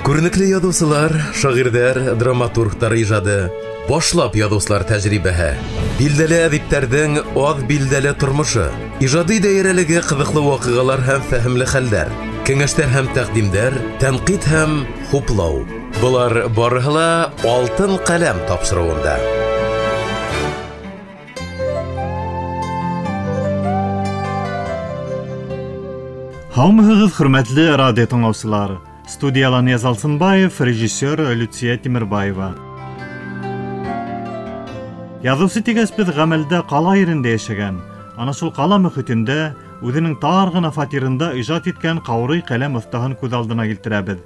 Күренекле яҙыусылар, шағирҙәр, драматургтар ижады, башлап яҙыусылар тәжрибәһе, билдәле әҙиптәрҙең аҙ билдәле тормошо, ижади даирәлеге ҡыҙыҡлы ваҡиғалар һәм фәһемле хәлдәр, кәңәштәр һәм тәҡдимдәр, тәнҡит һәм хуплау. Былар барыһы ла «Алтын ҡәләм» тапшырыуында. Һаумыһығыҙ, хөрмәтле радио тыңлаусылар! Студияла Нияз Алсынбаев, режиссер Люция Тимербаева. Яҙыусы тигәс беҙ ғәмәлдә ҡала ерендә йәшәгән, ана шул ҡала мөхитендә үҙенең тар ғына фатирында ижад иткән ҡаурый ҡәләм оҫтаһын күҙ алдына килтерәбеҙ.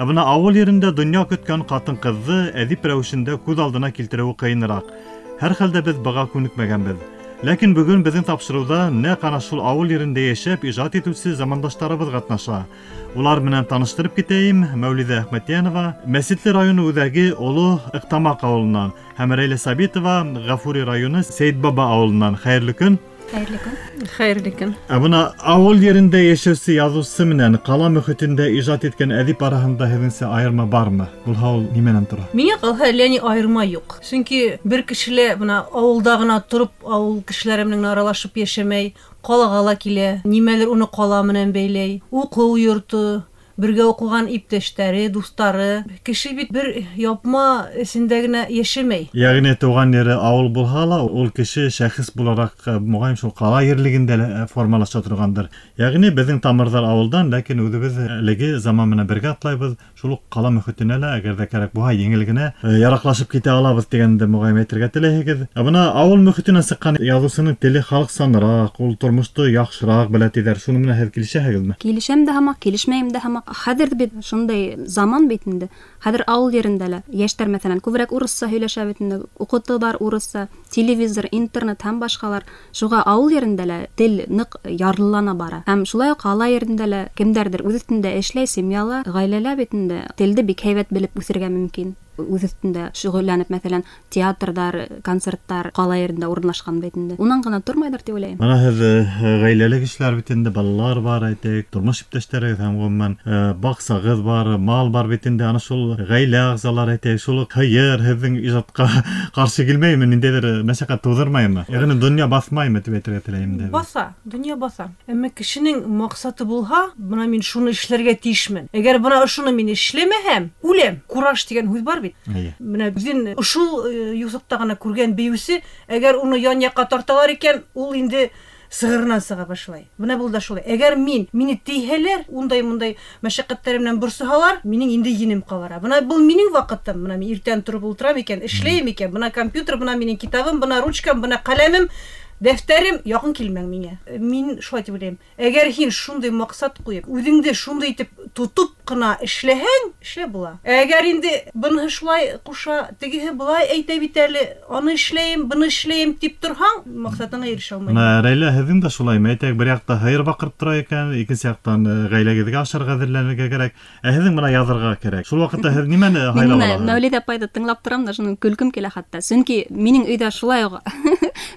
Ә бына ауыл ерендә донъя көткән ҡатын-ҡыҙҙы әҙип рәүешендә күҙ алдына килтереүе ҡыйыныраҡ. Һәр хәлдә беҙ быға күнекмәгәнбеҙ. Ләкин бөгөн беҙҙең тапшырыуҙа нәҡ ана шул ауыл ерендә йәшәп ижад итеүсе замандаштарыбыҙ ҡатнаша. Улар менән таныштырып китәйем. Мәүлиҙә Әхмәтйәнова Мәсетле районы үҙәге Оло Ыҡтамаҡ ауылынан һәм Рәйлә Сабитова Ғафури районы Сәйетбаба ауылынан. Хәйерле көн. Хәйерле көн. Хәйерле көн. Ә бына ауыл ерендә йәшәүсе яҙыусы менән ҡала мөхитендә ижад иткән әҙип араһында һеҙҙеңсә айырма бармы? Булһа ул нимәнән тора? Миңә ҡалһа, әллә ни айырма юҡ. Сөнки бер кеше лә бына ауылда ғына тороп, ауыл кешеләре менән аралашып йәшәмәй, ҡалаға ла килә, нимәлер уны ҡала менән бәйләй. Уҡыу йорто, бергә уҡыған иптәштәре, дуҫтары. Кеше бит бер япма эсендә генә йәшәмәй. Йәғни тыуған ере ауыл булһа ла, ул кеше шәхес булараҡ моғайын шул ҡала ерлегендә лә формалаша торғандыр. Йәғни беҙҙең тамырҙар ауылдан, ләкин үҙебеҙ әлеге заман менән бергә атлайбыҙ. Шул уҡ ҡала мөхитенә лә, әгәр ҙә кәрәк булһа, еңел генә яраҡлашып китә алабыҙ тигәнде моғайын әйтергә теләйһегеҙ. Ә бына ауыл мөхитенән сыҡҡан яҙыусының теле халыҡсаныраҡ, ул тормошто яҡшыраҡ белә тиҙәр. Шуның менән һеҙ килешәһегеҙме? Килешәм дә һамаҡ, килешмәйем дә һамаҡ. Хәҙер бит шундай заман бит инде. Хәҙер ауыл ерендә лә йәштәр, мәҫәлән, күберәк урыҫса һөйләшә бит инде, уҡытыуҙар урыҫса, телевизор, интернет һәм башҡалар. Шуға ауыл ерендә лә тел ныҡ ярлылана бара. Һәм шулай уҡ ҡала ерендә лә кемдәрҙер үҙ өҫтөндә эшләй, семьяла, ғаиләлә бит инде телде бик һәйбәт белеп үҫергә мөмкин. Үҙ өҫтөндә шөғөлләнеп, мәҫәлән, театрҙар, концерттар ҡала ерендә урынлашҡан бит инде. Унан ғына тормайҙар тип уйлайым. Бына һеҙ ғаиләле кешеләр бит инде, балалар бар, әйтәйек, тормош иптәштәрегеҙ һәм ғөмүмән баҡсағыҙ бар, мал бар бит инде. Ана шул ғаилә ағзалары, әйтәйек, шул уҡ һыйыр һеҙҙең ижадҡа ҡаршы килмәйме, ниндәйҙер мәшәҡәт тыуҙырмаймы? Йәғни донъя баҫмаймы тип әйтергә теләйем инде. Баҫа, донъя баҫа. Әммә кешенең маҡсаты булһа, бына мин шуны эшләргә тейешмен. Әгәр бына ошоно мин эшләмәһәм, үләм. Кураж тигән һүҙ бар бит. Бына үҙен ошол юҫыҡта ғына күргән бейеүсе, әгәр уны ян яҡҡа тарталар икән, ул инде сығырынан сыға башлай. Бына был да шулай. Әгәр мине тейһәләр, ундай-мындай мәшәҡәттәр менән борсоһалар, минең инде енем ҡабара. Бына был минең ваҡытым. Бына мин иртән тороп ултырам икән, эшләйем икән, бына компьютер, бына минең китабым, бына ручкам, бына ҡәләмем, дәфтәрем, яҡын килмәң миңә. Мин шулай тип уйлайым. Әгәр һин шундай маҡсат ҡуйып, үҙеңде шундай итеп тотоп ҡына эшләһәң, эшләп була. Әгәр инде быныһы шулай ҡуша, тегеһе былай әйтә бит әле, аны эшләйем, быны эшләйем тип торһаң, маҡсатыңа ирешә алмайһың. Бына Рәйлә, һеҙҙең дә шулаймы? Әйтәйек, бер яҡта һыйыр баҡырып тора икән, икенсе яҡтан ғаиләгеҙгә ашарға әҙерләнергә кәрәк. Ә һеҙҙең бына яҙырға кәрәк. Шул ваҡытта һеҙ нимәне Мин һайлап бына алаһығыҙ? Мәүлиҙә апайҙы тыңлап торам да, шуның көлкөм килә хатта. Сөнки минең өйҙә шулай уҡ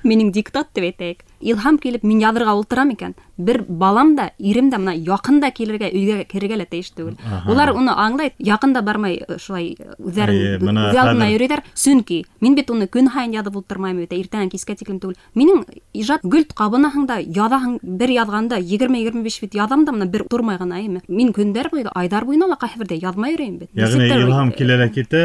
минең диктат тип әйтәйек. Илһам килеп мин яҙырға ултырам икән, бер балам да, ирем дә бына яҡын да килергә, өйгә керергә лә тейеш түгел. Улар уны аңлай, яҡын да бармай шулай үҙҙәрен Эйе, бына үҙ алдына хәҙер йөрөйҙәр. Сөнки мин бит уны көн һайын яҙып ултырмайым бит, иртәнән кискә тиклем түгел. Минең ижад гөлт ҡабынаһың да, яҙаһың, бер яҙғанда егерме-егерме биш бит яҙам да, бына бер тормай ғына, әйме. Мин көндәр буйы, айҙар буйына ла ҡайһы берҙә яҙмай йөрөйөм бит. Йәғни Нисек тә илһам килә лә китә,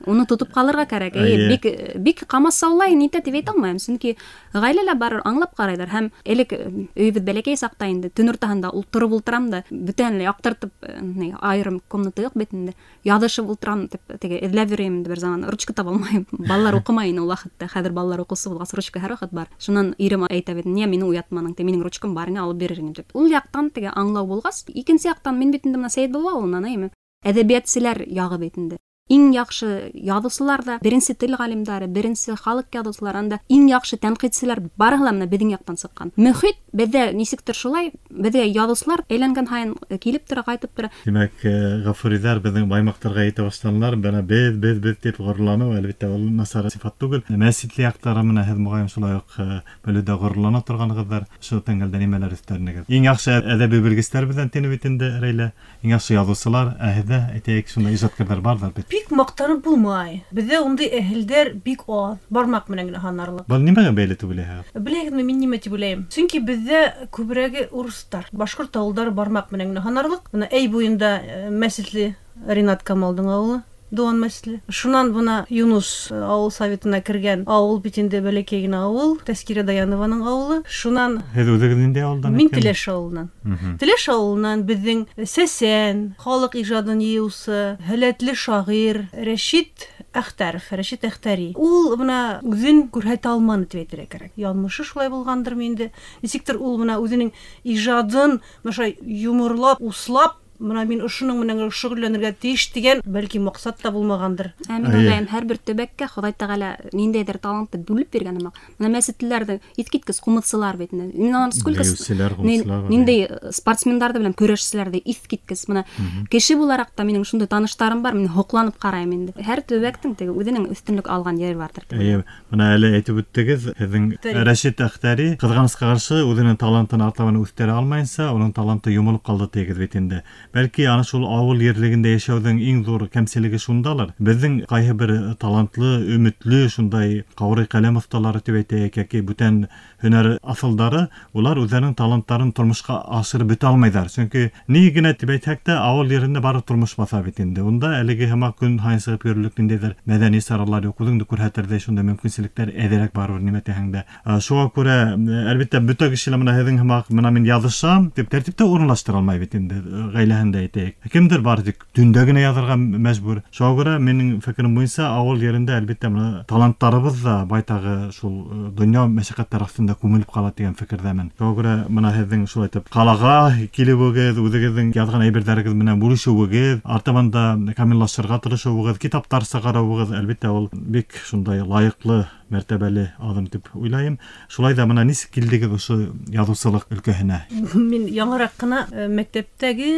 уны тотоп ҡалырға кәрәк. Эйе, Эйе. бик, бик ҡамасаулай нитә тип әйтә алмайым, сөнки ғаиләлә барыр аңлап ҡарайҙар. Һәм элек өйөбөҙ бәләкәй саҡта инде төн уртаһында ултырып ултырам да, бөтәһен лә яҡтыртып, ни, айырым комната юҡ бит инде. Яҙышып ултырам тип, теге эҙләп йөрөйөм инде бер заман. Ручка таба алмайым. Балалар уҡымай ине ул ваҡытта. Хәҙер балалар уҡыусы булғас, ручка һәр ваҡыт бар. Шунан ирем әйтә бит, ниңә мине уятманың ти, минең ручкам бар ине, алып бирер инем тип. Ул яҡтан теге аңлау булғас, икенсе яҡтан мин бит инде бына Сәйетбаба ауылынан, әйме? Әҙәбиәтселәр яғы бит инде. Иң яҡшы яҙыусылар да, беренсе тел ғалимдары, беренсе халыҡ яҙыусылары, анда иң яҡшы тәнҡитселәр барыһы ла менә беҙҙең яҡтан сыҡҡан. Мөхит беҙҙә нисектер шулай, беҙгә яҙыусылар әйләнгән һайын килеп тора, ҡайтып тора. Тимәк, Ғафуриҙар беҙҙең баймаҡтарға етә башланылар. Бына беҙ тип ғорурланыу, әлбиттә, ул насар сифат түгел. Мәсетле яҡтары менән һеҙ моғайын шулай уҡ белеүҙә ғорурлана торғанығыҙҙар. Ошо тәңгәлдә нимәләр өҫтәрнегеҙ? Иң яҡшы әҙәби белгестәр беҙҙән тине бит инде, Рәйлә. Иң яҡшы яҙыусылар, ә һеҙҙә, әйтәйек, шундай ижадкарҙар барҙыр бит. Бик маҡтанып булмай. Беҙҙә ундай әһелдәр бик аҙ, бармаҡ менән генә һанарлыҡ. Был нимәгә бәйле тип уйлайһығыҙ? Беләһегеҙме, мин нимә тип уйлайым? Сөнки беҙҙә күберәге урыҫтар, башҡорт ауылдары бармаҡ менән генә һанарлыҡ. Бына Әй буйында Мәсетле Ринат Камалдың ауылы, Дыуан Мәсетле. Шунан бына Юнус ауыл советына кергән ауыл бит инде бәләкәй генә ауыл, Тәскирә Даянованың ауылы. Шунан Һеҙ үҙегеҙ ниндәй ауылдан? Мин Теләш ауылынан. Теләш ауылынан беҙҙең Сәсән, халыҡ ижадын йыйыусы, һәләтле шағир Рәшит Әхтәров, Рәшит Әхтәри. Ул бына үҙен күрһәтә алманы тип әйтергә кәрәк. Яҙмышы шулай булғандыр инде. Нисектер ул бына үҙенең ижадын бына йоморлап, услап, бына мин ошоноң менән шөғөлләнергә тейеш тигән бәлки маҡсат та булмағандыр. Ә мин уйлайым, һәр бер төбәккә Хоҙай Тәғәлә ниндәйҙер талантты бүлеп биргән һымаҡ. Бына мәсетлеләрҙе иҫ киткес ҡумыҙсылар бит инде. Мин алар сколько ниндәй спортсмендарҙы беләм, көрәшселәрҙе иҫ киткес. Бына кеше булараҡ та минең шундай таныштарым бар, мин һоҡланып ҡарайым инде. Һәр төбәктең теге үҙенең өҫтөнлөк алған ере барҙыр. Эйе, бына әле әйтеп үттегеҙ, һеҙҙең Рәшит Әхтәри ҡыҙғанысҡа ҡаршы үҙенең талантын артабан үҫтерә алмайынса, уның таланты йомолоп ҡалды тигеҙ бит инде. Бәлки ана шул ауыл ерлегендә йәшәүҙең иң ҙур кәмселеге шундалыр. Беҙҙең ҡайһы бер талантлы, өмөтлө шундай ҡаурый ҡәләм оҫталары тип әйтәйек, йәки бүтән һөнәр аҫылдары, улар үҙҙәренең таланттарын тормошҡа ашырып бөтә алмайҙар. Сөнки ни генә тип әйтһәк тә, ауыл ерендә бары тормош баҫа бит инде. Унда әлеге һымаҡ көн һайын сығып йөрөрлөк ниндәйҙер мәҙәни саралар юҡ, үҙеңде күрһәтерҙәй шундай мөмкинселектәр әҙерәк барыбер, нимә тиһәң дә. Шуға күрә, әлбиттә, бөтә кеше лә бына һеҙҙең һымаҡ, бына мин яҙышам тип тәртиптә урынлаштыра алмай бит инде, ғаиләһендә әйтәйек. Кемдер бар тик төндә генә яҙырға мәжбүр. Шуға күрә минең фекерем буйынса, ауыл ерендә әлбиттә бына таланттарыбыҙ ҙа байтағы шул донъя мәшәҡәттәр аҫтында күмелеп ҡала тигән фекерҙәмен. Шуға күрә бына һеҙҙең шулай итеп ҡалаға килеүегеҙ, үҙегеҙҙең яҙған әйберҙәрегеҙ менән бүлешеүегеҙ, артабан да камиллашырға тырышыуығыҙ, китаптар сығарыуығыҙ, әлбиттә, ул бик шундай лайыҡлы, мәртәбәле аҙым тип уйлайым. Шулай ҙа бына нисек килдегеҙ ошо яҙыусылыҡ өлкәһенә? Мин яңыраҡ ҡына мәктәптәге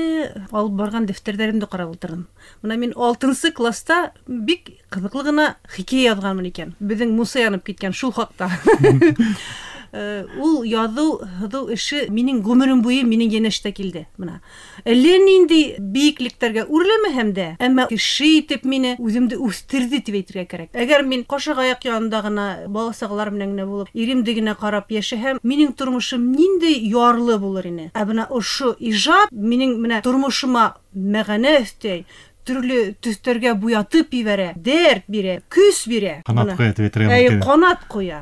алып барған дәфтәрҙәремде ҡарап ултырҙым. Бына мин 6-нсы класста бик ҡыҙыҡлы ғына хикәйә яҙғанмын икән. Беҙҙең Муса янып киткән шул хаҡта. Ул яҙыу, һыҙыу эше минең ғүмерем буйы минең йәнәштә килде. Бына әллә ниндәй бейеклектәргә үрләмәһәм дә, әммә кеше итеп мине үҙемде үҫтерҙе тип әйтергә кәрәк. Әгәр мин ҡашығаяҡ янында ғына бала-сағалар менән генә булып, иремде генә ҡарап йәшәһәм, минең тормошом ниндәй ярлы булыр ине. Ә бына ошо ижад минең менә тормошома мәғәнә өҫтәй, төрлө төҫтәргә буятып ебәрә, дәрт бирә, көс бирә. Ҡанат ҡуя тип әйтергә мөмкин. Ҡанат ҡуя.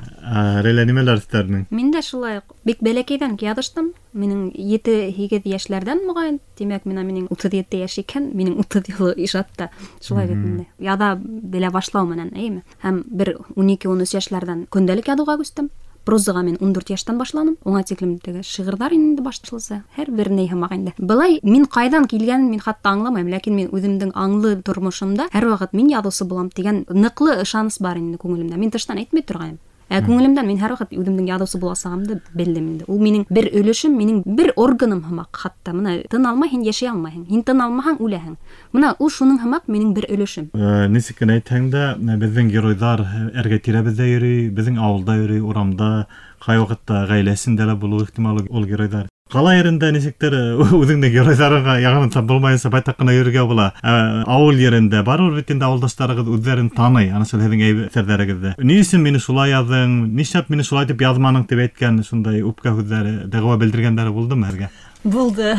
Рәйлә, нимәләр өҫтәрнең? Мин дә шулай уҡ бик бәләкәйҙән яҙыштым. Минең 7-8 йәшләрҙән моғайын, тимәк, минең 37 йәш икән, минең 30 йылы ижадта. Шулай бит инде. Яҙа белә башлау менән, эйме? Һәм бер 12-13 йәшләрҙән көндәлек яҙыуға күстем. Прозаға мин 14 йәштән башланым. Уңа тиклем теге шиғырҙар инде башласа, һәр бер ни һымаҡ инде. Былай мин ҡайҙан килгәнен мин хатта аңламайым, ләкин мин үҙемдең аңлы тормошомда һәр ваҡыт мин яҙыусы булам тигән ныҡлы ышаныс бар инде күңелемдә. Мин тыштан әйтмәй торғайным. Ә күңелемдән мин һәр ваҡыт үҙемдең яҙыусы буласағымды белдем инде. Ул минең бер өлөшөм, минең бер органым һымаҡ хатта. Бына тын алмай һин йәшәй алмайһың. Һин тын алмаһаң үләһең. Бына ул шуның һымаҡ минең бер өлөшөм. Нисек кенә әйтһәң дә, беҙҙең геройҙар эргә тирәбеҙҙә йөрөй, беҙҙең ауылда йөрөй, урамда, ҡай ваҡытта ғаиләсендә лә булыуы ихтимал ул геройҙар. Ҡала ерендә нисектер үҙеңдең геройҙарыңа яғын тап булмайынса байтаҡ ҡына йөрөргә була. Ауыл ерендә барыбер бит инде ауылдаштарығыҙ үҙҙәрен таный, ана шул һеҙҙең әҫәрҙәрегеҙҙе. Ни өсөн мине шулай яҙҙың, нишләп мине шулай тип яҙманың тип әйткән шундай үпкә һүҙҙәре, дәғүә белдергәндәре булдымы һеҙгә? Булды.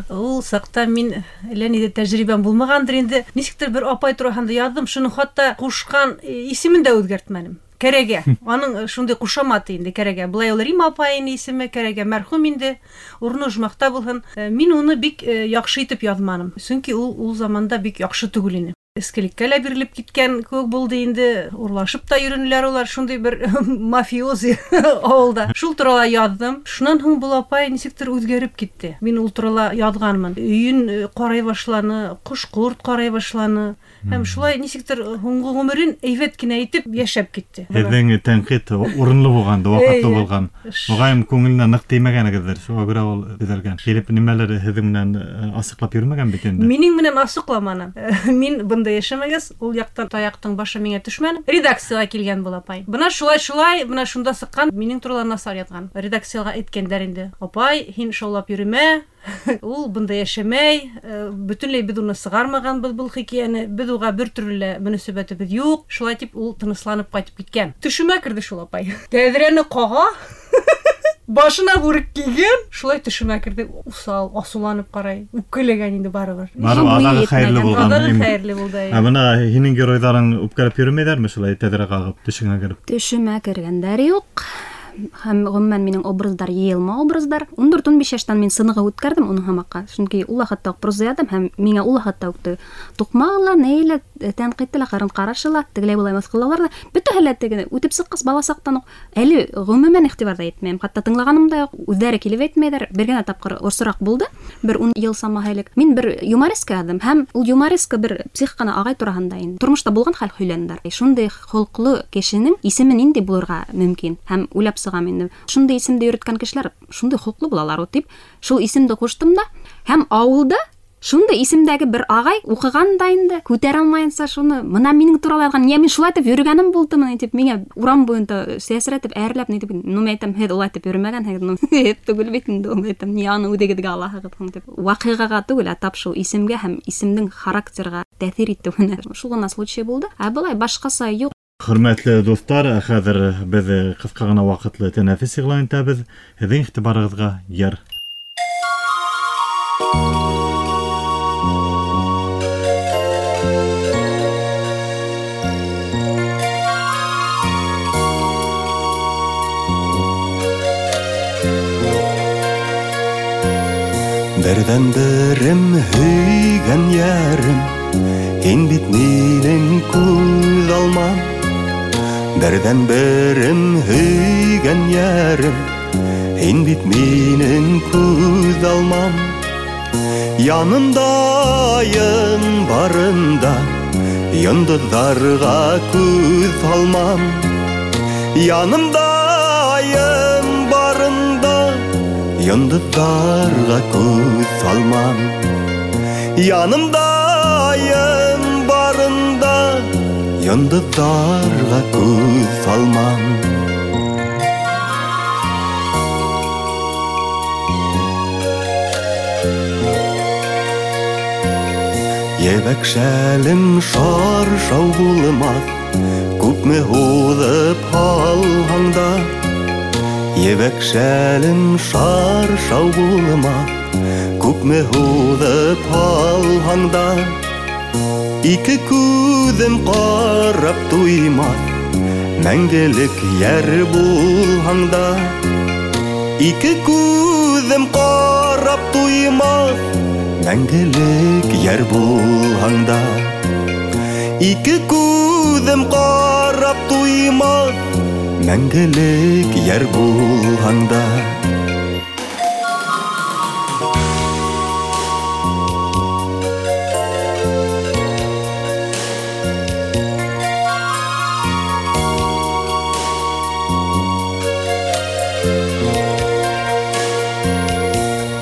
Ул саҡта мин әллә ниндәй тәжрибәм булмағандыр инде. Нисектер бер апай тураһында яҙҙым, шуның хатта ҡушҡан исемен дә үҙгәртмәнем. Кәрәгә. Аның шундай ҡушаматы инде Кәрәгә. Былай ул Рима апайының исеме Кәрәгә, мәрхүм инде, урыны ожмахта булһын. Мин уны бик яҡшы итеп яҙманым. Сөнки ул заманда бик яҡшы түгел ине. Эскелеккә лә бирелеп киткән кеүек булды инде. Урлашып та йөрөнөләр улар, шундай бер мафиози авылда. Шул турала яҙҙым. Шунан һуң был апай нисектер үҙгәреп китте. Мин ул турала яҙғанмын. Өйөн ҡарай башланы, ҡош-ҡорт ҡарай башланы. Һәм шулай нисектер һуңғы ғүмерен әйбәт кенә итеп йәшәп китте. Һеҙҙең тәнҡит урынлы булған, ваҡытлы булған. Моғайын күңеленә ныҡ теймәгәнегеҙҙер, шуға күрә ул төҙәлгән. Килеп нимәлер һеҙҙең менән асыҡлап йөрөмәгән бит инде. Минең менән асыҡламаны. Мин бында йәшәмәгәс, ул яҡтан таяҡтың башы миңә төшмәне. Редакцияға килгән был апай. Бына шулай-шулай, бына шунда сыҡҡан, минең турала насар яҙған. Редакцияға әйткәндәр инде. Апай, һин шаулап йөрөмә. Ул бында йәшәмәй, бөтөнләй беҙ уны сығармағанбыҙ был хикәйәне, беҙ уға бер төрлө лә мөнәсәбәтебеҙ юҡ. Шулай тип ул тынысланып ҡайтып киткән. Төшөмә керҙе шул апай. Тәҙрәне ҡаға. Башына бүрек кейгән, шулай төшөмә керҙе, усал, асыуланып ҡарай. Үпкәләгән инде барыбер. Барыбер аҙағы хәйерле булған. Аҙағы хәйерле булды. Ә бына һинең геройҙарың үпкәләп йөрөмәйҙәрме шулай тәҙрә ҡағып төшөңә кереп? Төшөмә кергәндәр юҡ. Һәм ғөмүмән минең образдар йыйылма образдар. 14-15 йәштән мин сынығы үткәрҙем уның һамаҡҡа. Сөнки ул ваҡытта уҡ проза яҙҙым һәм миңә ул ваҡытта уҡ туҡмағы ла, ней лә, тәнҡите лә, ҡарын ҡарашы ла, тегеләй былай мыҫҡыллаулар ҙа, бөтәһе лә теге үтеп сыҡҡас бала саҡтан уҡ әле ғөмүмән иғтибар ҙа итмәйем. Хатта тыңлағаным да юҡ, үҙҙәре килеп әйтмәйҙәр. Бер генә тапҡыр осраҡ булды, бер 10 йыл самаһы элек. Мин бер юмореска яҙҙым һәм ул юмореска бер псих ҡына ағай тураһында инде. Тормошта булған хәл һөйләнделәр. Шундай холҡло кешенең исеме ниндәй булырға мөмкин? Һәм уйлап сығам инде. Шундай исемде йөрөткән кешеләр шундай холҡло булалар ул тип, шул исемде ҡуштым да һәм ауылда шундай исемдәге бер ағай уҡыған да инде, күтәрә алмайынса шуны, мына минең турала яҙған, ниңә мин шулай итеп йөрөгәнем булдымы тип, миңә урам буйында сәсрәтеп, әрләп, ни тип, ну мин әйтәм, һеҙ улай итеп йөрөмәгәнһегеҙ, ну һеҙ түгел бит инде, ул әйтәм, ни аны үҙегеҙгә алаһығыҙ һуң тип. Ваҡиғаға түгел, ә тап шул исемгә һәм исемдең характерға тәьҫир итеүенә. Шул ғына случай булды. Ә былай башҡаса юҡ. Хөрмәтле дуҫтар, хәҙер беҙ ҡыҫҡа ғына ваҡытлы тәнәфес иғлан итәбеҙ. Һеҙҙең иғтибарығыҙға йыр. Берҙән-берем һөйгән йәрем, һин бит минең күҙ алмам. Берҙән-берем һөйгән йәрем, һин бит минең күҙ алмам. Янымда айым барында, йондоҙҙарға күҙ һалмам. Янымда айым барында, йондоҙҙарға күҙ һалмам. Янымда айым барында, йондоҙҙарға күҙ һалмам. Ебәк шәлем шаршау булмаҫ, күпме һуҙып һалһаң да. Ебәк шәлем шаршау булмаҫ, күпме һуҙып һалһаң да. Ике күҙем ҡарап туймаҫ, мәңгелек йәр булһаң да. Ике күҙем ҡарап туймаҫ, мәңгелек йәр булһаң да. Ике күҙем ҡарап туймаҫ, мәңгелек йәр булһаң да.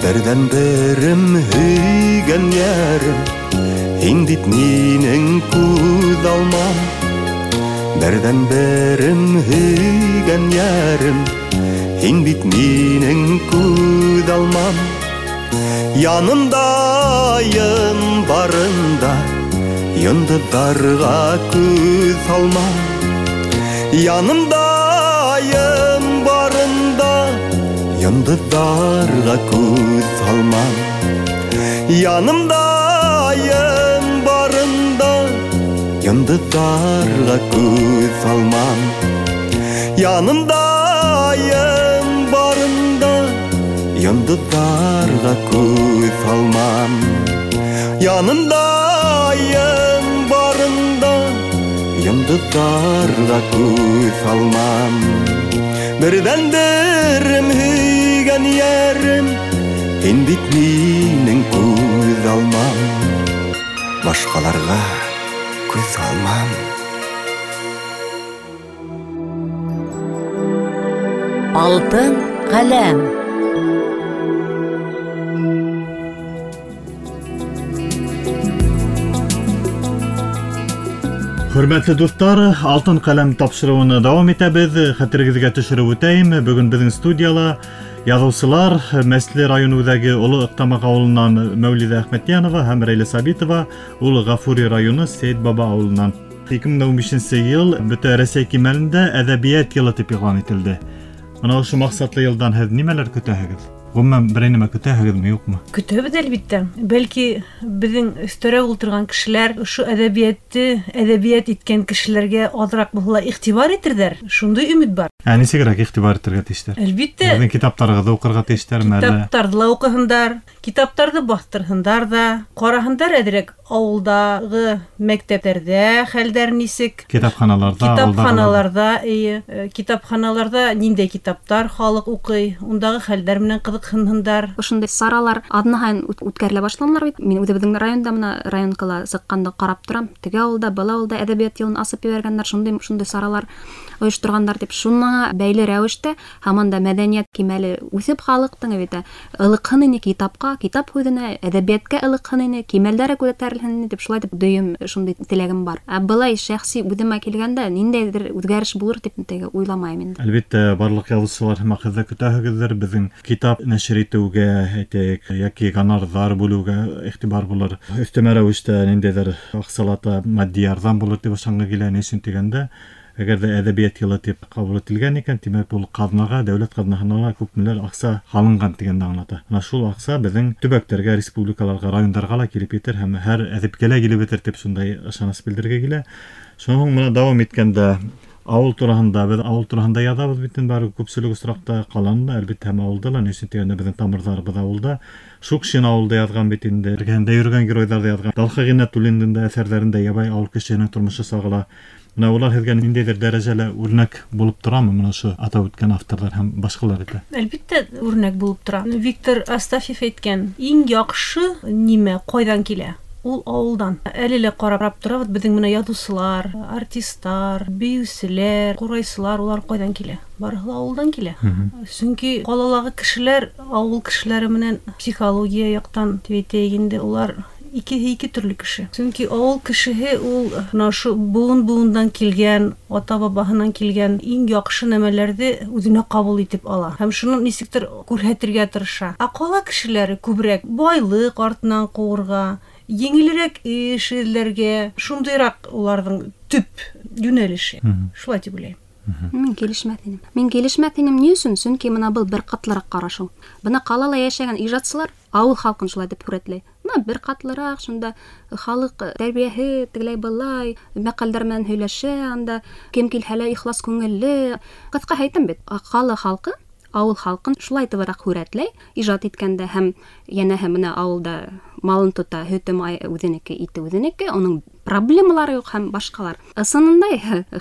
Берҙән-берем һөйгән йәрем, һин бит минең күҙ алмам. Берҙән-берем һөйгән йәрем, һин бит минең күҙ алмам. Янымда айым барында, йондоҙҙарға күҙ һалмам. Янымда айым барында, йондоҙҙарға күҙ һалмам. Янымда айым барында, йондоҙҙарға күҙ һалмам. Янымда айым барында, йондоҙҙарға күҙ һалмам. Янымда айым барында, Йондоҙҙарға күҙ алмам. Берҙән-берем һөйгән йәрем, һин бит минең күҙ алмам. Башҡаларға күҙ алмам. Алтын ҡәләм. Хөрмәтле дуҫтар, Алтын ҡәләм тапшырыуын дауам итәбеҙ. Хәтерегеҙгә төшөрөп үтәйем, бөгөн беҙҙең студияла яҙыусылар Мәсле район үҙәге Оло Ыҡтамаҡ ауылынан Мәүлиҙә Әхмәтйәнова һәм Рәйлә Сабитова, ул Ғафури районы Сәйет Баба ауылынан. 2015 йыл бөтә Рәсәй кимәлендә әҙәбиәт йылы тип иғлан ителде. Бына ошо маҡсатлы йылдан һеҙ нимәләр көтәһегеҙ? Ғөмүмән, берәй нәмә көтәһегеҙме, юҡмы? Көтәбеҙ, әлбиттә. Бәлки беҙҙең өҫтәрәк ултырған кешеләр ошо әҙәбиәтте әҙәбиәт иткән кешеләргә аҙыраҡ булһа ла иғтибар итерҙәр. Шундай өмөт бар. Ә нисегерәк иғтибар итергә тейештәр? Әлбиттә. Һеҙҙең китаптарығыҙҙы уҡырға тейештәрме әллә? Китаптарҙы ла уҡыһындар, китаптарҙы баҫтырһындар ҙа, ҡараһындар әҙерәк ауылдағы мәктәптәрҙә хәлдәр нисек? Китапханаларҙа, китапханаларҙа, эйе, китапханаларҙа ниндәй китаптар халыҡ уҡый, ундағы хәлдәр менән ҡыҙыҡһынһындар. Ошондай саралар аҙна һайын үткәрелә башланылар бит. Мин үҙебеҙҙең районда мына районкала сыҡҡанда ҡарап торам. Теге ауылда, был ауылда әҙәбиәт йылын асып ебәргәндәр, шундай саралар ойошторғандар тип. Шуңа бәйле рәүештә һаман да мәҙәниәт кимәле үҫеп халыҡтың бит ылыҡһын ине китапҡа, китап һүҙенә, әҙәбиәткә ылыҡһын ине, кимәлдәре күтәрелһен ине тип шулай тип дөйөм шундай теләгем бар. Ә былай шәхси үҙемә килгәндә ниндәйҙер үҙгәреш булыр тип теге уйламайым инде. Әлбиттә, барлыҡ яҙыусылар һәм һеҙ ҙә көтәһегеҙҙер беҙҙең китап нәшер итеүгә, әйтәйек, йәки гонорарҙар бүлеүгә иғтибар булыр. Өҫтәмә рәүештә ниндәйҙер аҡсалата матди ярҙам булыр тип ышанғы килә. Ни өсөн тигәндә, әгәр ҙә әҙәбиәт йылы тип ҡабул ителгән икән, тимәк, ул ҡаҙнаға, дәүләт ҡаҙнаһына ла күпмелер аҡса һалынған тигәнде аңлата. Ана шул аҡса беҙҙең төбәктәргә, республикаларға, райондарға ла килеп етер һәм һәр әҙипкә лә килеп етер тип шундай ышаныс белдерергә килә. Шунан һуң бына дауам иткәндә ауыл тураһында, беҙ ауыл тураһында яҙабыҙ бит инде, бары күпселек осраҡта ҡаланы ла, әлбиттә, һәм ауылда ла. Ни өсөн тигәндә, беҙҙең тамырҙарыбыҙ ауылда. Шукшин ауылда яҙған бит инде, эргәһендә йөрөгән геройҙарҙы яҙған. Талха Ғиннәтуллиндың да әҫәрҙәрендә ябай ауыл кешеһенең тормошо сағыла. Бына улар һеҙгә ниндәйҙер дәрәжәлә үрнәк булып торамы, бына ошо атап үткән авторҙар һәм башҡалар итә? Әлбиттә, үрнәк булып тора. Виктор Астафьев әйткән, иң яҡшы нимә ҡайҙан килә? Ул ауылдан. Әле лә ҡарап торабыҙ, беҙҙең менә яҙыусылар, артисттар, бейеүселәр, ҡурайсылар, улар ҡайҙан килә? Барыһы ла ауылдан килә. Сөнки ҡалалағы кешеләр ауыл кешеләре менән психология яҡтан тип әйтәйек инде, улар икеһе ике төрлө кеше. Сөнки ауыл кешеһе ул мына ошо быуын-быуындан килгән, ата-бабаһынан килгән иң яҡшы нәмәләрҙе үҙенә ҡабул итеп ала һәм шуны нисектер күрһәтергә тырыша. Ә ҡала кешеләре күберәк байлыҡ артынан ҡыуырға, еңелерәк эш эҙләргә, шундайыраҡ уларҙың төп йүнәлеше. Шулай тип уйлайым. Мин килешмәҫ инем. Мин килешмәҫ инем ни өсөн? Сөнки мына был бер ҡатлыраҡ ҡарашыу. Бына ҡалала йәшәгән ижадсылар ауыл халҡын шулай тип һүрәтләй. Бына бер ҡатлыраҡ, шунда халыҡ тәрбиәһе тегеләй былай, мәҡәлдәр менән һөйләшә, анда кем килһә лә ихлас күңелле. Ҡыҫҡаһы әйтәм бит, ҡала халҡы ауыл халҡын шулай тыбыраҡ һүрәтләй ижад иткәндә, һәм йәнәһе мына ауылда малын тота, һөтө май үҙенеке, ите үҙенеке, уның проблемалары юҡ һәм башҡалар. Ысынында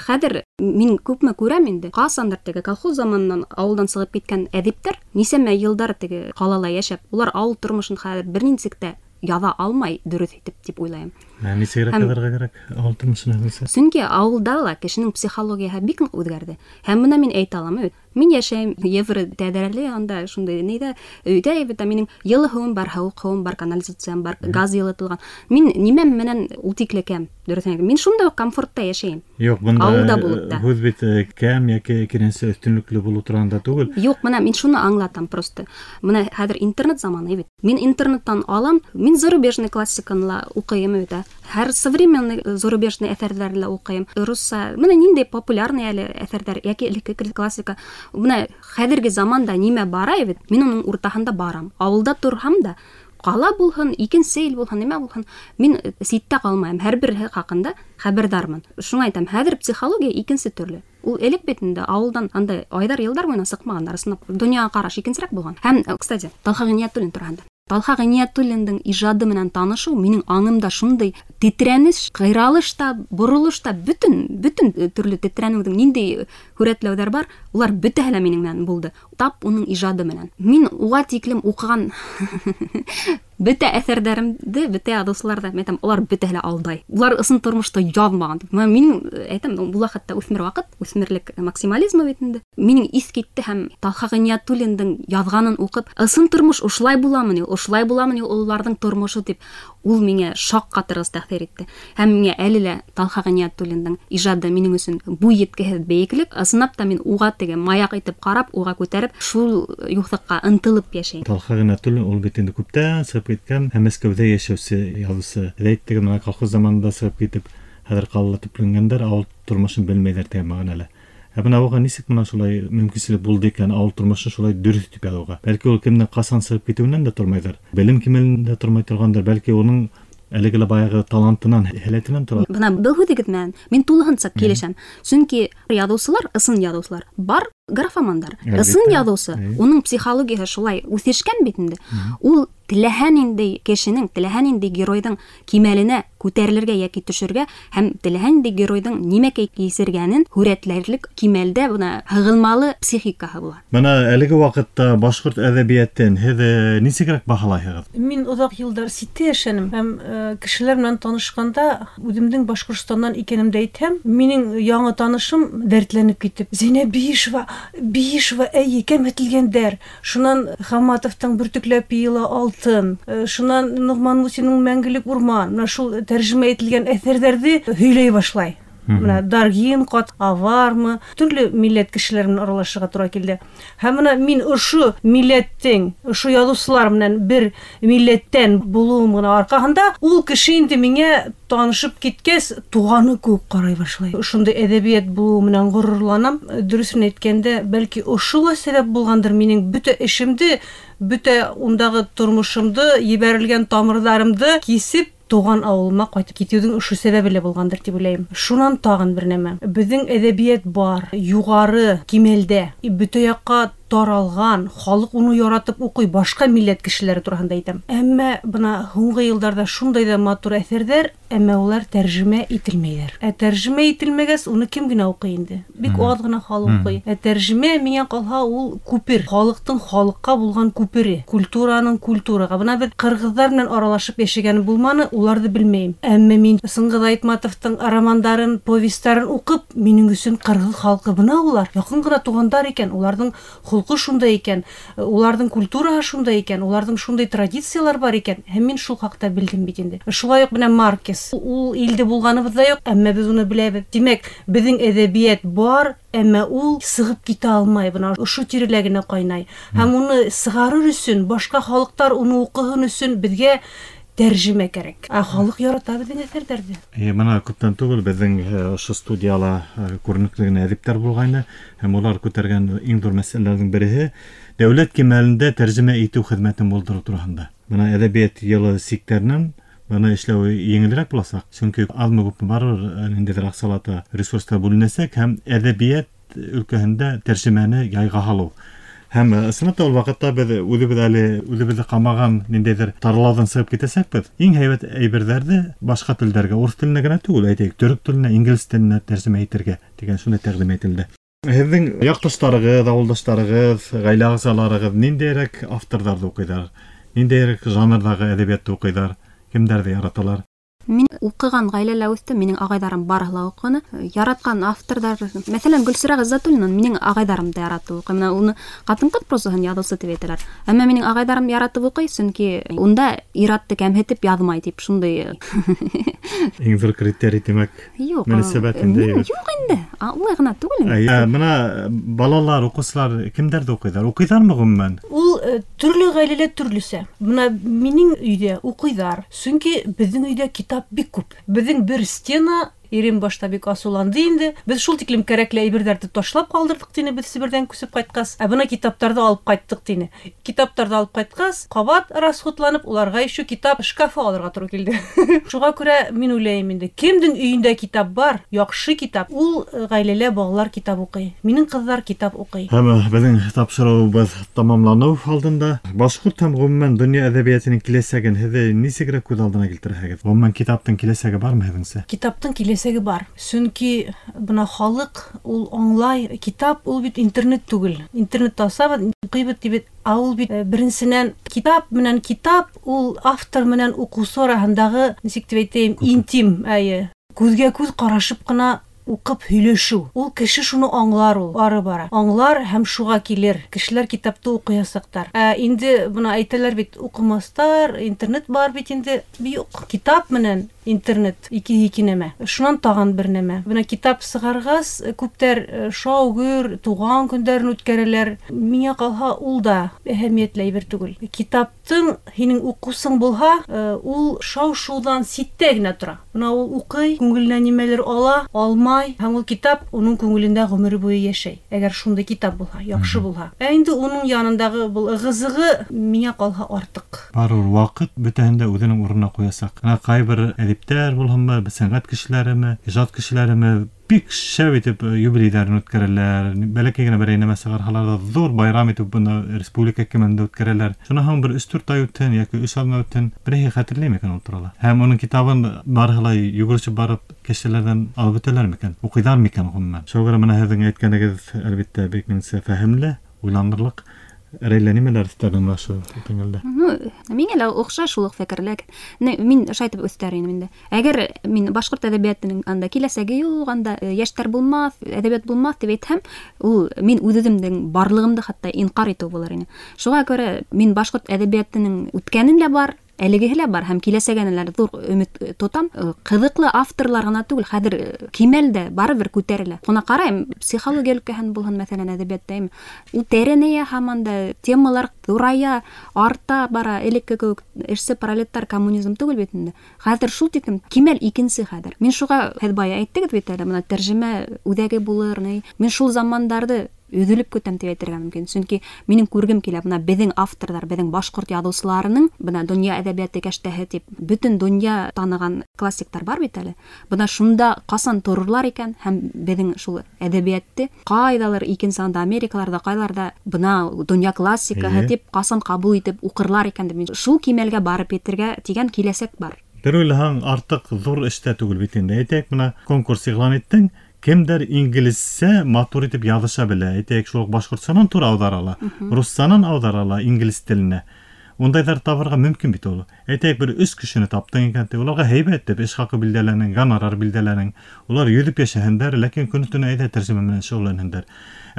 хәҙер мин күпме күрәм инде, ҡасандыр теге колхоз заманынан ауылдан сығып киткән әҙиптәр нисәмә йылдар теге ҡалала йәшәп, улар ауыл тормошон хәҙер бер нисек тә яҙа алмай дөрөҫ итеп тип уйлайым. Ә нисегерәк яҙырға кәрәк ауыл тормошон? Сөнки ауылда ла кешенең психологияһы бик ныҡ үҙгәрҙе. Һәм бына мин әйтә алам, мин йәшәйем евро тәҙрәле, анда шундай нейҙә өйҙә бит, минең йылы һыуым бар, һыуыҡ һыуым бар, канализациям бар, газ йылытылған. Мин нимәм менән ул тикле кәм, дөрөҫөн әйтәм. Мин шундай уҡ комфортта йәшәйем. Юҡ, бында ауылда булып та. Һүҙ бит кәм йәки икенсе өҫтөнлөклө булыу тураһында түгел. Юҡ, бына мин шуны аңлатам просто. Бына хәҙер интернет заманы бит. Мин интернеттан алам, мин зарубежный классиканы ла уҡыйым бит. Һәр современный зарубежный әҫәрҙәрҙе лә уҡыйым. Русса, бына ниндәй популярный әле әҫәрҙәр йәки элекке классика. Бына хәҙерге заманда нимә бара бит, мин уның уртаһында барам. Ауылда торһам да, ҡала булһын, икенсе ил булһын, нимә булһын, мин ситтә ҡалмайым. Һәр береһе хаҡында хәбәрҙармын. Шуңа әйтәм, хәҙер психология икенсе төрлө. Ул элек бит инде ауылдан андай айҙар, йылдар буйына сыҡмағандар, ысынлап донъяға ҡараш икенсерәк булған. Һәм, кстати, Талха Ғиниәтуллин тураһында. Талха Ғиниәтуллиндың ижады менән танышыу минең аңымда шундай тетрәнеш, ҡыйралыш та, боролош та, бөтөн төрлө тетрәнеүҙең ниндәй һүрәтләүҙәр бар, улар бөтәһе лә минең менән булды. Тап уның ижады менән. Мин уға тиклем уҡыған бөтә әҫәрҙәремде, бөтә яҙыусыларҙы, мин әйтәм, улар бөтәһе лә алдай. Улар ысын тормошто яҙмаған. Минең әйтәм, була хатта үҫмер ваҡыт, үҫмерлек максимализмы бит инде. Минең иҫ китте һәм Талха Ғиниәтуллиндың яҙғанын уҡып, ысын тормош ошолай буламы ни, ошолай буламы ни уларҙың тормошо тип, ул миңә шаҡ ҡатырғыс тәьҫир итте. Һәм миңә әле лә Талха Ғиниәтуллиндың ижады минең өсөн буй еткеһеҙ бейеклек. Ысынлап та мин уға теге маяҡ итеп ҡарап, уға күтәреп, шул юҫыҡҡа ынтылып йәшәйем. Талха Ғиниәтуллин ул бит инде күптән сығып киткән һәм Мәскәүҙә йәшәүсе яҙыусы. Әйттеге менән колхоз заманында сығып китеп, хәҙер ҡалала төпләнгәндәр, ауыл тормошон белмәйҙәр тигән мәғәнәлә. Ә бына уға нисек бына шулай мөмкинселек булды икән ауыл тормошон шулай дөрөҫ тип яҙыуға? Бәлки ул кемдең ҡасан сығып китеүенән дә тормайҙыр. Белем кимәлендә тормай торғандыр, бәлки уның әлеге лә баяғы талантынан, һәләтенән тора. Бына был һүҙегеҙ менән мин тулыһынса килешәм. Сөнки яҙыусылар, ысын яҙыусылар бар, графомандар. Ысын яҙыусы, уның психологияһы шулай үҫешкән бит инде. Ул теләһә ниндәй кешенең, теләһә ниндәй геройҙың кимәленә күтәрелергә йәки төшөргә һәм теләһә ниндәй геройҙың нимәкәй кисергәнен һүрәтләрлек кимәлдә бына һығылмалы психикаһы була. Бына әлеге ваҡытта башҡорт әҙәбиәтен һеҙ нисегерәк баһалайһығыҙ? Мин оҙаҡ йылдар ситтә йәшәнем һәм кешеләр менән танышҡанда үҙемдең Башҡортостандан икәнемде әйтһәм, минең яңы танышым дәртләнеп китеп, Зәйнәб Биишева, Биишева, әйе, кәмһетелгәндәр. Шунан Хаматовтың бөртөкләп йыйыла алтын, шунан Ноғман Мусиның мәңгелек урман, менә шул тәржемә ителгән әҫәрҙәрҙе һөйләй башлай. Менә Даргин, Ҡат Авармы, төрлө милләт кешеләре менән аралашырға тура килде. Һәм менә мин ошо милләттең, ошо яҙыусылар менән бер милләттән булыуым ғына арҡаһында ул кеше инде миңә танышып киткәс, туғаны кеүек ҡарай башлай. Ошондай әҙәбиәт булыуы менән ғорурланам. Дөрөҫөн әйткәндә, бәлки ошо ла сәбәп булғандыр минең бөтә эшемде, бөтә ундағы тормошомдо, ебәрелгән тамырҙарымды кисеп туған ауылыма ҡайтып китеүҙең ошо сәбәбе лә булғандыр тип уйлайым. Шунан тағын бер нәмә. Беҙҙең әҙәбиәт бар, юғары кимәлдә, бөтә яҡҡа таралған, халыҡ уны яратып уҡый, башҡа милләт кешеләре тураһында әйтәм. Әммә бына һуңғы йылдарҙа шундай ҙа матур әҫәрҙәр, әммә улар тәржемә ителмәйҙәр. Ә тәржемә ителмәгәс, уны кем генә уҡый инде? Бик аҙ ғына халыҡ уҡый. Ә тәржемә миңә ҡалһа ул күпер, халыҡтың халыҡҡа булған күпере, культураның культураға. Бына беҙ ҡырғыҙҙар менән аралашып йәшәгән булманы, уларҙы белмәйем. Әммә мин Сыңғыҙ Айтматовтың романдарын, повестарын уҡып, минең өсөн ҡырғыҙ халҡы бына улар яҡын ғына туғандар икән, уларҙың холҡо шундай икән, уларҙың культураһы шундай икән, уларҙың шундай традициялар бар икән. Һәм мин шул хаҡта белдем бит инде. Шулай уҡ менән Маркес. Ул илдә булғаныбыҙ да юҡ, әммә беҙ уны беләбеҙ. Тимәк, беҙҙең әҙәбиәт бар, әммә ул сығып китә алмай, бына ошо тирәлә генә ҡайнай. Һәм уны сығарыр өсөн, башҡа халыҡтар уны уҡыһын өсөн беҙгә тәржемә кәрәк. Ә халыҡ ярата беҙҙең әҫәрҙәрҙе. Бына күптән түгел беҙҙең ошо студияла күренекле генә әҙиптәр булғайны, һәм улар күтәргән иң ҙур мәсьәләләрҙең береһе дәүләт кимәлендә тәржемә итеү хеҙмәтен булдырыу тураһында. Бына әҙәбиәт йылы сиктәренән быны эшләү еңелерәк буласаҡ, сөнки аҙмы-күпме барыбер ниндәйҙер аҡсалата ресурстар бүленәсәк һәм әҙәбиәт өлкәһендә тәржемәне яйға һалыу. Һәм ысынлап та ул ваҡытта беҙ үҙебеҙ әле үҙебеҙҙе ҡамаған ниндәйҙер тарлауҙан сығып китәсәкбеҙ. Иң һәйбәт әйберҙәрҙе башҡа телдәргә, урыҫ теленә генә түгел, әйтәйек, төрөк теленә, инглиз теленә тәржемә итергә тигән шундай тәҡдим әйтелде. Һеҙҙең яҡташтарығыҙ, ауылдаштарығыҙ, ғаилә ағзаларығыҙ ниндәйерәк авторҙарҙы уҡыйҙар? Ниндәйерәк жанрҙағы әҙәбиәтте уҡыйҙар? Кемдәрҙе яраталар? Мин уҡыған ғаиләлә үҫтем, минең ағайҙарым барыһы ла уҡыны. Яратҡан авторҙар, мәҫәлән, Гөлсирә Ғиззәтуллина минең ағайҙарым да яратып уҡый. Менә уны ҡатын-ҡыҙ прозаһын яҙыусы тип әйтәләр. Әммә минең ағайҙарым яратып уҡый, сөнки унда ир-атты кәмһетеп яҙмай тип шундай. Иң ҙур критерий тимәк, мөнәсәбәт инде. Юҡ инде, улай ғына түгел инде. Бына балалар, уҡыусылар кемдәрҙе уҡыйҙар? Уҡыйҙармы ғөмүмән? Ул төрлө ғаиләлә төрлөсә. Бына минең өйҙә уҡыйҙар, сөнки беҙҙең өйҙә китап бик күп. Беҙҙең бер стена Ирем башта бик асыуланды инде. Беҙ шул тиклем кәрәкле әйберҙәрҙе ташлап ҡалдырҙыҡ тине, беҙ Себерҙән күсеп ҡайтҡас. Ә бына китаптарҙы алып ҡайттыҡ тине. Китаптарҙы алып ҡайтҡас, ҡабат расходланып, уларға еще китап шкафы алырға тура килде. Шуға күрә мин уйлайым инде, кемдең өйөндә китап бар, яҡшы китап, ул ғаиләлә балалар китап уҡый. Минең ҡыҙҙар китап уҡый. Һәм беҙҙең тапшырыуыбыҙ тамамланыу алдында башҡорт һәм ғөмүмән донъя әҙәбиәтенең киләсәген һеҙ нисегерәк күҙ алдына килтерәһегеҙ? Ғөмүмән китаптың киләсәге бармы һеҙҙеңсә? Китаптың киләсәге бар. Сөнки бына халыҡ ул аңлай, китап ул бит интернет түгел. Интернетта асабыҙ, уҡыйбыҙ тип бит, ә ул бит беренсенән китап менән китап ул автор менән уҡыусы араһындағы, нисек тип әйтәйем, интим, әйе, күҙгә күҙ ҡарашып ҡына уҡып һөйләшеү. Ул кеше шуны аңлар, ул ары бара. Аңлар һәм шуға килер. Кешеләр китапты уҡыясаҡтар. Ә инде бына әйтәләр бит, уҡымаҫтар, интернет бар бит инде. Юҡ, китап менән интернет ике нәмә. Шунан тағын бер нәмә. Бына китап сығарғас, күптәр шау-гөр, туған көндәрен үткәрәләр. Миңә ҡалһа, ул да әһәмиәтле әйбер түгел. Китаптың һинең уҡыусың булһа, ул шау-шыуҙан ситтә генә тора. Бына ул уҡый, күңеленә нимәлер ала, алмай, һәм ул китап уның күңелендә ғүмере буйы йәшәй. Әгәр шундай китап булһа, яҡшы булһа. Ә инде уның янындағы был ығы-зығы миңә ҡалһа артыҡ. Барыбер ваҡыт бөтәһен дә үҙенең урынына ҡуясаҡ. Бына ҡайбер әҙиптәр булһынмы, сәнғәт кешеләреме, ижад кешеләреме бик шәп итеп юбилейҙәрен үткәрәләр. Бәләкәй генә берәй нәмә сығарһалар ҙа ҙур байрам итеп бына республика кимәлендә үткәрәләр. Шунан һуң бер 3-4 ай үтһен йәки 3 аҙна үтһен, берәйһе хәтерләй микән ул турала? Һәм уның китабын барыһы ла йүгерешеп барып кешеләрҙән алып үтәләр микән? Уҡыйҙар микән ғөмүмән? Шуға күрә бына һеҙҙең әйткәнегеҙ әлбиттә бик минеңсә фәһемле, уйланырлыҡ. Рәйлә, нимәләр өҫтәрҙең ошо тәңгәлдә? Миңә лә оҡшай шул уҡ фекерләр. Мин ошо әйтеп өҫтәр инем инде. Әгәр мин башҡорт әҙәбиәтенең анда киләсәге юҡ, анда йәштәр булмаҫ, әҙәбиәт булмаҫ тип әйтһәм, ул мин үҙ-үҙемдең барлығымды хатта инҡар итеү булыр ине. Шуға күрә мин башҡорт әҙәбиәтенең үткәнен лә бар, әлегеһе лә бар һәм киләсәгенә лә ҙур өмөт тотам. Ҡыҙыҡлы авторлар ғына түгел, хәҙер кимәл дә барыбер күтәрелә. Бына ҡарайым, психология өлкәһен булһын, мәҫәлән, әҙәбиәттә, ул тәрәнәйә һаман да, темалар ҙурая, арта бара. Элекке кеүек эшсе пролетар коммунизм түгел бит инде. Хәҙер шул тиклем кимәл икенсе хәҙер. Мин шуға, һеҙ бая әйттегеҙ бит әле, бына тәржемә үҙәге булыр, ни. Мин шул замандарҙы өҙөлөп көтәм тип әйтергә мөмкин. Сөнки минең күргем килә, бына беҙҙең авторҙар, беҙҙең башҡорт яҙыусыларының бына донъя әҙәбиәте кәштәһе тип бөтөн донъя таныған классиктар бар бит әле. Бына шунда ҡасан торорlar икән һәм беҙҙең шул әҙәбиәтте ҡайҙалыр икенсе анда Америкаларҙа, ҡайларҙа бына донъя классикаһы тип ҡасан ҡабул итеп уҡырлар икән тип шул кимәлгә барып етергә тигән киләсәк бар. Бер уйлаһаң, артыҡ ҙур эш тә түгел бит инде. Әйтәйек, бына конкурс иғлан иттең, кемдер инглизсә матур итеп яҙыша белә. Әйтәйек, шул уҡ башҡортсанан тура ауҙара ала, руссанан ауҙара ала инглиз теленә. Ундайҙар табырға мөмкин бит ул. Әйтәйек, бер 3 кешене таптың икән, уларға һәйбәт тип эш хаҡы билдәләнең, гонорар билдәләнең. Улар йөҙөп йәшәһендәр, ләкин көнө-төнө әйҙә тәржемә менән шөғөлләнһендәр.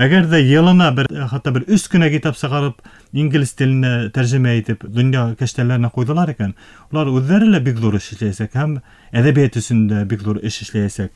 Әгәр ҙә йылына бер, хатта бер 3 кенә китап сығарып, инглиз теленә тәржемә итеп, донъя кәштәләренә ҡуйҙылар икән, улар үҙҙәре лә бик ҙур эш эшләйәсәк һәм әҙәбиәт өсөн дә бик ҙур эш эшләйәсәк.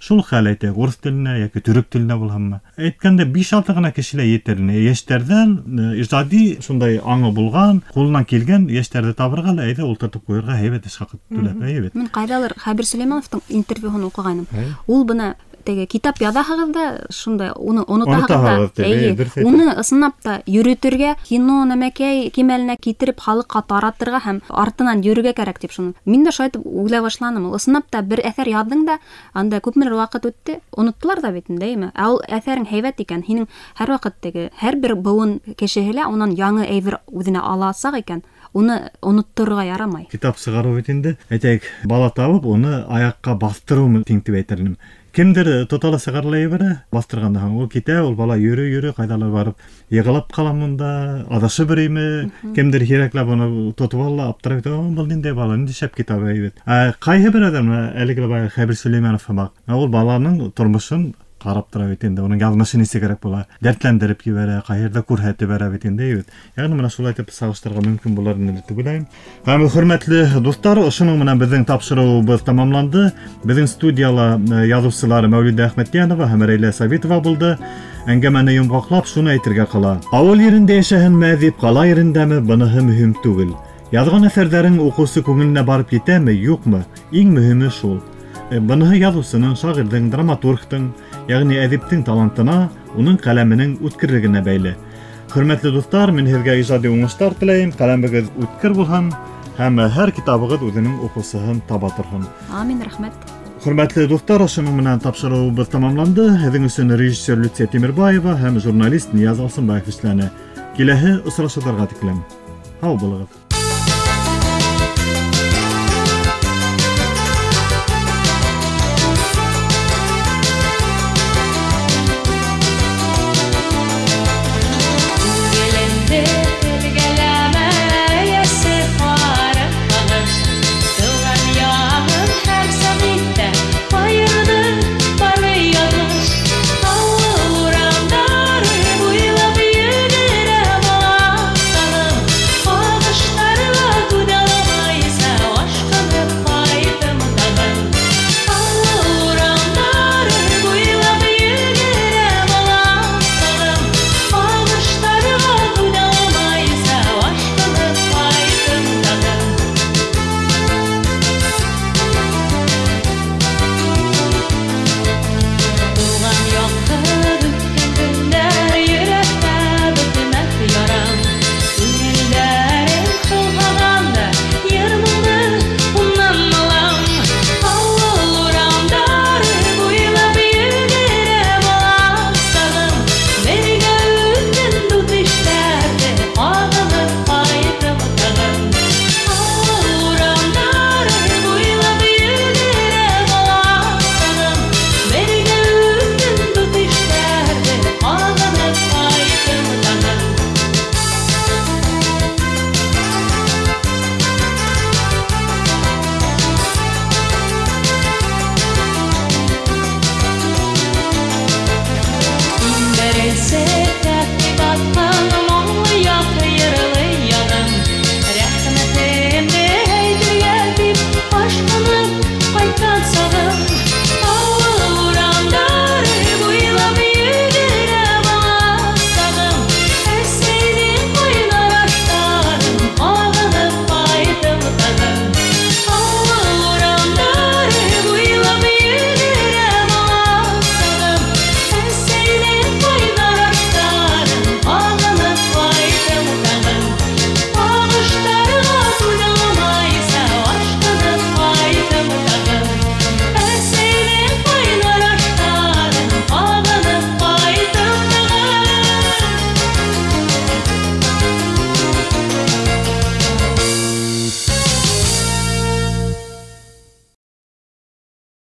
Шул хәл әйтәйек, урыҫ теленә йәки төрөк теленә булһынмы? Әйткәндә 5-6 ғына кеше лә етер ине. Йәштәрҙән ижади шундай аңы булған, ҡулынан килгән йәштәрҙе табырға ла әйҙә ултыртып ҡуйырға һәйбәт эш хаҡы түләп, әйбәт. Мин ҡайҙалыр Хәбир Сөләймәновтың интервьюһын уҡығайным. Ул бына теге китап яҙаһығыҙ ҙа, шундай уны онотаһығыҙ да, эйе, уны ысынлап та йөрөтөргә, кино нәмәкәй кимәленә китереп халыҡҡа таратырға һәм артынан йөрөргә кәрәк тип шуны. Мин дә шулай итеп уйлай башланым. Ул ысынлап та бер әҫәр яҙҙың да, анда күпмелер ваҡыт үтте, оноттолар ҙа бит инде, әйме? Ә ул әҫәрең һәйбәт икән, һинең һәр ваҡыт теге һәр бер быуын кешеһе лә унан яңы әйбер үҙенә аласаҡ икән, уны онотторорға ярамай. Китап сығарыу бит инде, әйтәйек, бала табып, уны аяҡҡа баҫтырыу тиң тип әйтер инем. Кемдер тотала сығарыла ебәрә, баҫтырғандан һуң ул китә, ул бала йөрөй-йөрөй ҡайҙалыр барып йығылып ҡала монда, аҙашып йөрөйме, кемдер һирәкләп уны тотоп ала, аптырап китә, был ниндәй бала, ниндәй шәп китап әйбәт. Ә ҡайһы бер әҙәм, әлеге лә баяғы Хәбир Сөләймәнов һымаҡ, ул баланың тормошон ҡарап тора бит инде, уның яҙмышы нисек кәрәк була, дәртләндереп ебәрә, ҡайһы күрһәтеп бәрә бит инде, бит. Ягъни менә шулай итеп сағыштырырға мөмкин булыр инде дип уйлайым. Һәм хөрмәтле дуҫтар, ошоноң менән беҙҙең тапшырыуыбыҙ тамамланды. Беҙҙең студияла яҙыусылар Мәүлиҙә Әхмәтйәнова һәм Рәйлә Сабитова булды. Әңгәмәне йомғаҡлап шуны әйтергә ҡала. Ауыл ерендә йәшәһенме, әҙип ҡала ерендәме, быныһы мөһим түгел. Яҙған әҫәрҙәрең уҡыусы күңеленә барып етәме, юҡмы? Иң мөһиме шул. Быныһы яҙыусының, шағирҙың, драматургтың, йәғни әҙиптең талантына, уның ҡәләменең үткерлегенә бәйле. Хөрмәтле дуҫтар, мин һеҙгә ижади уңыштар теләйем. Ҡәләмегеҙ үткер булһын һәм һәр китабығыҙ үҙенең уҡыусыһын таба торһон. Амин, рәхмәт. Хөрмәтле дуҫтар, ошоноң менән тапшырыуыбыҙ тамамланды. Һеҙҙең өсөн режиссер Люция Тимербаева һәм журналист Нияз Алсынбаев эшләне. Киләһе осрашыуҙарға тиклем. Һау булығыҙ.